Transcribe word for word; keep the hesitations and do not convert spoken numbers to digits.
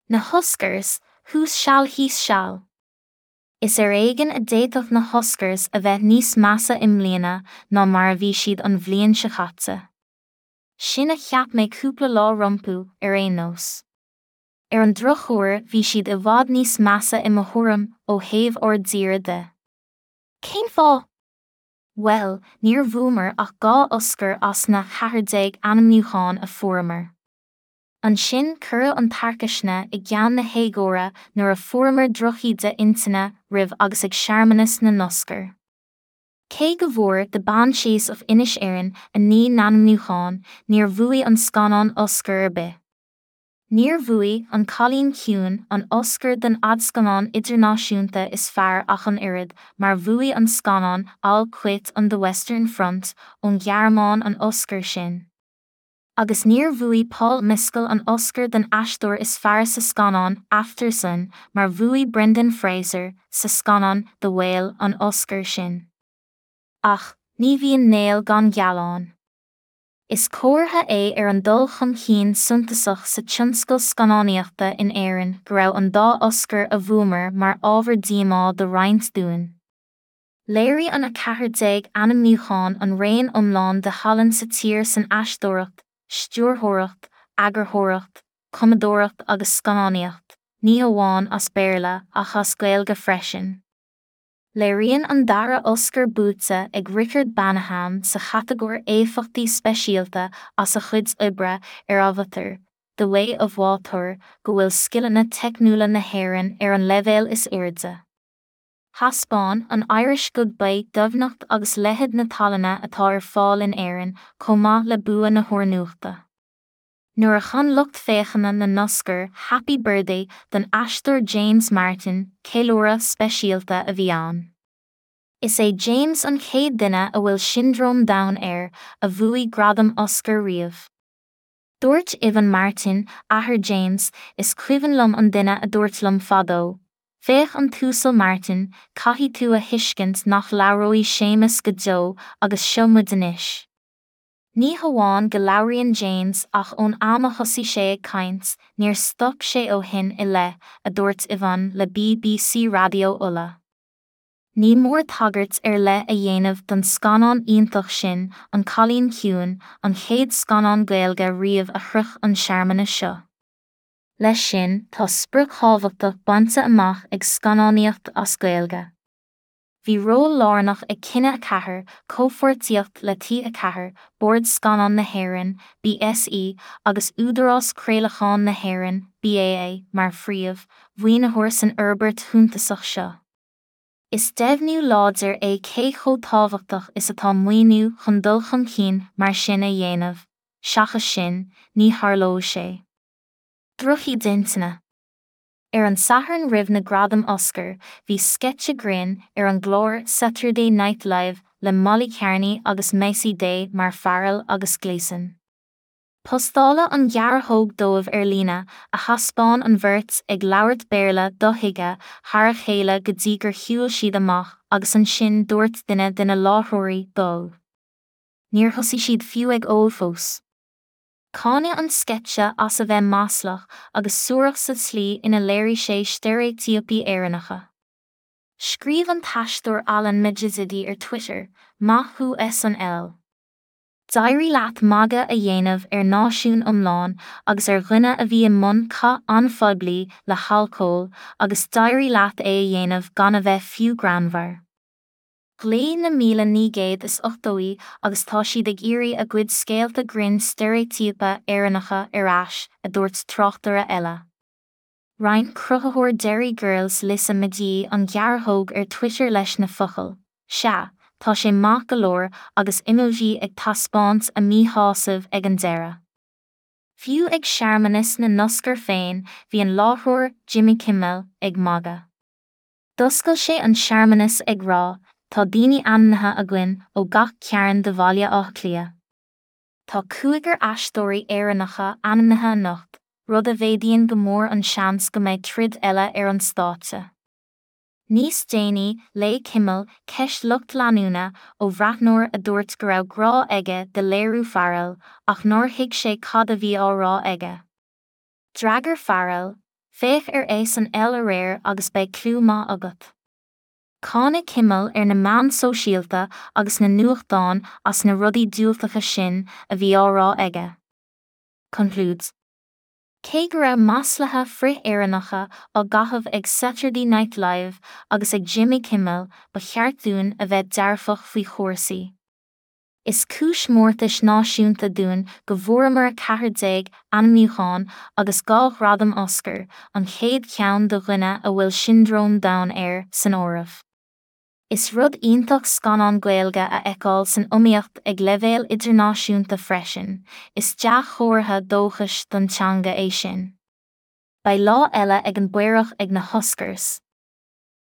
Na hOscars, thuas seal thíos seal. Is ar éigean a d'fhéadfadh na hOscars a bheith níos measa i mbliana ná mar a bhí siad an bhliain seo caite. Sin a cheap mé cúpla lá rompu, ar aon nós. Ar an drochuair bhí siad i bhfad níos measa i mo thuairim ó thaobh ár dtíre de. Cén fáth? Bhuel, níor bhuamar ach dhá Oscar as na ceathair déag ainmniúchán a fuaireamar. Ansin cuireadh an tarcaisne i gceann na héagóra nuair a fuaireamar drochíde intinne roimh agus ag searmanas na nOscar. Cé go bhfuair The Banshees of Inisherin a naoi n-ainmniúchán, níor bhuaigh an scannán Oscar ar bith. Níor bhuaigh An Cailín Ciúin an Oscar don fhadscannán idirnáisiúnta is fearr ach an oiread, mar bhuaigh an scannán All Quiet on the Western Front ón Ghearmáin an Oscar sin. Agus níor bhuaigh Paul Mescal an Oscar don aisteoir is fearr sa scannán Aftersun mar bhuaigh Brendan Fraser sa scannán The Whale an Oscar sin. Ach, ní bhíonn néal gan gealán. Is comhartha é ar an dul chun cinn suntasach sa tionscal scannánaíochta in Éirinn go raibh an dá Oscar a bhuamar mar ábhar díomá do roinnt dúinn. Léirigh an a ceathair déag ainmniúchán an raon iomlán de thallann sa tír san aisteoireacht, stiúrthóireacht, eagarthóireacht, cumadóireacht agus scannánaíocht, ní hamháin as Béarla ach as Gaeilge freisin. Léiríonn an dara Oscar buaite ag Richard Baneham sa chatagóir éifeachtaí speisialta as a chuid oibre ar Avatar, The Way of Water go bhfuil scileanna teicniúla na hÉireann ar an leibhéal is airde. Thaispeáin an Irish Goodbye doimhneacht agus leithead na tallainne atá ar fáil in Éirinn chomh maith le bua na húrnuachta. Nuair a chan lucht féachana na nOscar Happy Birthday don aisteoir James Martin, ceiliúradh speisialta a bhí ann. Is é James an chéad duine a bhfuil Siondróm Down air a bhuaigh gradam Oscar riamh. Dúirt Ivan Martin, athair James, is cuimhin liom an duine a dúirt liom fadó. Féach an tUasal Martin, caithfidh tú a thuiscint nach labhróidh Séamus go deo agus seo muid anois. Ní hamháin go labhraíonn James ach ón am a thosaigh sé ag caint, níor stop sé ó shin i leith, a dúirt Ivan le BBC Raidió Uladh. Ní mór tagairt ar leith a dhéanamh don scannán iontach sin, An Cailín Ciúin, an chéad scannán Gaeilge riamh a shroich an searmanas seo. Leis sin, tá sprioc thábhachtach bainte amach ag scannánaíocht as Gaeilge. Bhí ról lárnach ag Cine a ceathair, comhpháirtíocht le T a ceathair, Bord Scannán na hÉireann, BSE, agus Údarás Craolacháin na hÉireann, BAA, mar phríomh, mhaoinitheoir san fhorbairt shuntasach seo. Is deimhniú láidir é cé chomh tábhachtach is atá maoiniú chun dul chun cinn mar sin a dhéanamh, seachas sin, ní tharlódh sé. Drochíde intinne. Ar an Satharn roimh na gradaim Oscar, bhí sceitse grinn ar an gclár Saturday Night Live le Molly Kearney agus Macy Day mar Farrell agus Gleeson. Postáladh an ghearrthóg dóibh ar líne, a thaispeáin an bheirt ag labhairt Béarla dothuigthe thar a chéile go dtí gur shiúil siad amach agus ansin dúirt duine de na láithreoirí dul. Níor thosaigh siad fiú ag ól fós. Cáineadh an sceitse as a bheith maslach agus suarach sa tslí ina léirigh sé steiréitíopaí Éireannacha. Scríobh an t-aisteoir Alan Majizidi ar Twitter, Maith thú SNL. D'éirigh leat magadh a dhéanamh ar náisiún iomlán agus ar dhuine a bhí i mbun cath an-phoiblí le halcól agus d'éirigh leat é a dhéanamh gan a bheith fiú greannmhar. Ghlaoigh na míle naoi gcéad is ochtóí agus tá siad ag iarraidh a gcuid scéalta grinn steiréitíopa Éireannacha ar ais, a dúirt tráchtaire eile. Roinn cruthaitheoir Derry Girls Lisa McGee an ghearrthóg ar Twitter leis na focail, Sea, tá sé maith go leor agus emoji ag taispeáint a míshásamh ag an deireadh. Fiú ag searmanas na nOscar féin, bhí an láithreoir, Jimmy Kimmel, ag magadh. D'oscail sé an searmanas ag rá, Tá daoine ainmnithe againn ó gach cearn de Bhaile Átha Cliath. Tá cúigear aisteoirí Éireannacha ainmnithe anocht, rud a mhéadaíonn go mór an seans go mbeidh troid eile ar an stáitse. Níos déanaí, léigh Kimmel ceist lucht leanúna ó bhreathnóir a dúirt go raibh grá aige do léiriú Farrell ach nár thuig sé cad a bhí á rá aige. D'fhreagair Farrell, Féach ar S N L aréir agus beidh clú maith agat. Cáineadh Kimmel ar na meáin sóisialta agus na nuachtáin as na rudaí diúltacha sin a bhí á rá aige. Concludes. Cé go raibh maslaithe frith-Éireannacha á gcaitheamh ag Saturday Night Live agus ag Jimmy Kimmel ba cheart dúinn a bheith dearfach faoi chúrsaí. Is cúis mórtais náisiúnta dúinn go bhfuaireamar a ceathair déag ainmniúchán agus dhá ghradam Oscar, an chéad cheann do dhuine a bhfuil siondróm Down air san áireamh. Is rud iontach scannán Gaeilge a fheiceáil san iomaíocht ag leibhéal idirnáisiúnta freisin, is dea-chomhartha dóchais don teanga é sin. Beidh lá eile ag an bPaorach ag na hOscars.